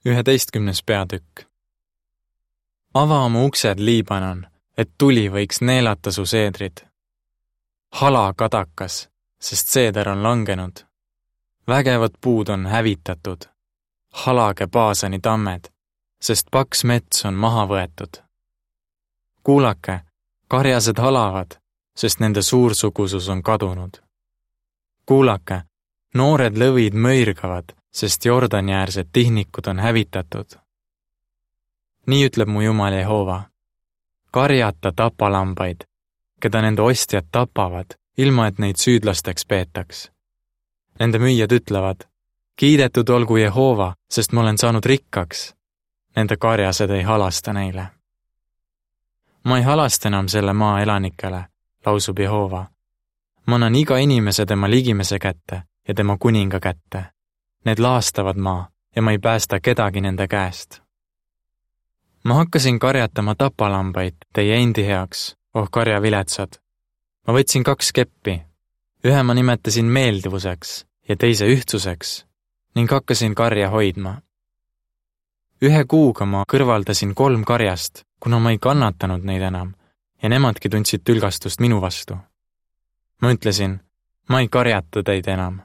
11. peatükk. Ava oma uksed, Liibanon, et tuli võiks neelata su seedrid. Hala kadakas, sest seeder on langenud. Vägevad puud on hävitatud. Halage Baasani tammed, sest paks mets on maha võetud. Kuulake, karjased halavad, sest nende suursugusus on kadunud. Kuulake, noored lõvid mõirgavad, sest Jordani-äärsed tihnikud on hävitatud. Nii ütleb mu Jumal Jehova. Karjata tapalambaid, keda nende ostjad tapavad, ilma et neid süüdlasteks peetaks. Nende müüjad ütlevad, kiidetud olgu Jehova, sest ma olen saanud rikkaks. Nende karjased ei halasta neile. Ma ei halasta enam selle maa elanikele, lausub Jehova. Ma annan iga inimese tema ligimese kätte ja tema kuninga kätte. Need laastavad maa ja ma ei päästa kedagi nende käest. Ma hakkasin karjatama tapalambaid teie endi heaks, karjaviletsad. Ma võtsin 2 keppi. Ühe ma nimetasin meeldivuseks ja teise ühtsuseks ning hakkasin karja hoidma. 1 kuuga ma kõrvaldasin 3 karjast, kuna ma ei kannatanud neid enam ja nemadki tundsid tülgastust minu vastu. Ma ütlesin, ma ei karjata teid enam.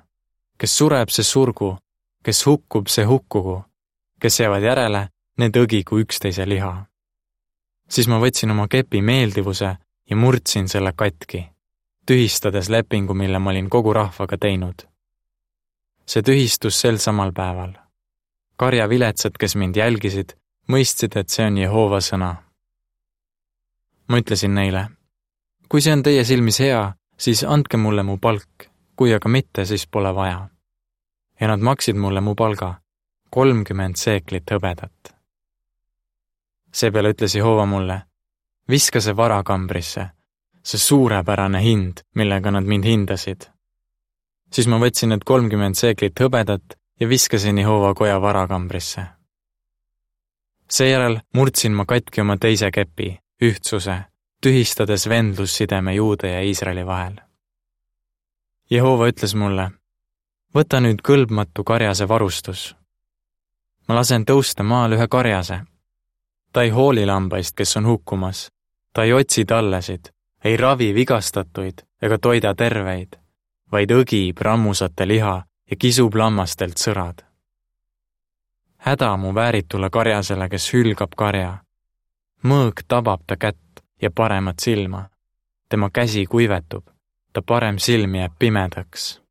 Kes sureb, see surgu, kes hukkub, see hukkugu, kes jäävad järele, need õgigu üksteise liha. Siis ma võtsin oma kepi meeldivuse ja murdsin selle katki, tühistades lepingu, mille ma olin kogu rahvaga teinud. See tühistus sel samal päeval. Karjaviletsad, kes mind jälgisid, mõistsid, et see on Jehova sõna. Ma ütlesin neile, kui see on teie silmis hea, siis andke mulle mu palk, kui aga mitte, siis pole vaja. Ja nad maksid mulle mu palga, 30 seeklit hõbedat. Seepeale ütles Jehova mulle, viska see varakambrisse, see suurepärane hind, millega nad mind hindasid. Siis ma võtsin need 30 seeklit hõbedat ja viskasin Jehova koja varakambrisse. Seejärel murdsin ma katki oma teise kepi, ühtsuse, tühistades vendlussideme Juuda ja Iisraeli vahel. Jehova ütles mulle, võta nüüd kõlbmatu karjase varustus. Ma lasen tõusta maal 1 karjase. Ta ei hooli lambaist, kes on hukkumas. Ta ei otsi tallesid, ei ravi vigastatuid ega toida terveid, vaid õgib rammusate liha ja kisub lammastelt sõrad. Häda mu vääritule karjasele, kes hülgab karja. Mõõg tabab ta kätt ja paremat silma. Tema käsi kuivetub, ta parem silm jääb pimedaks.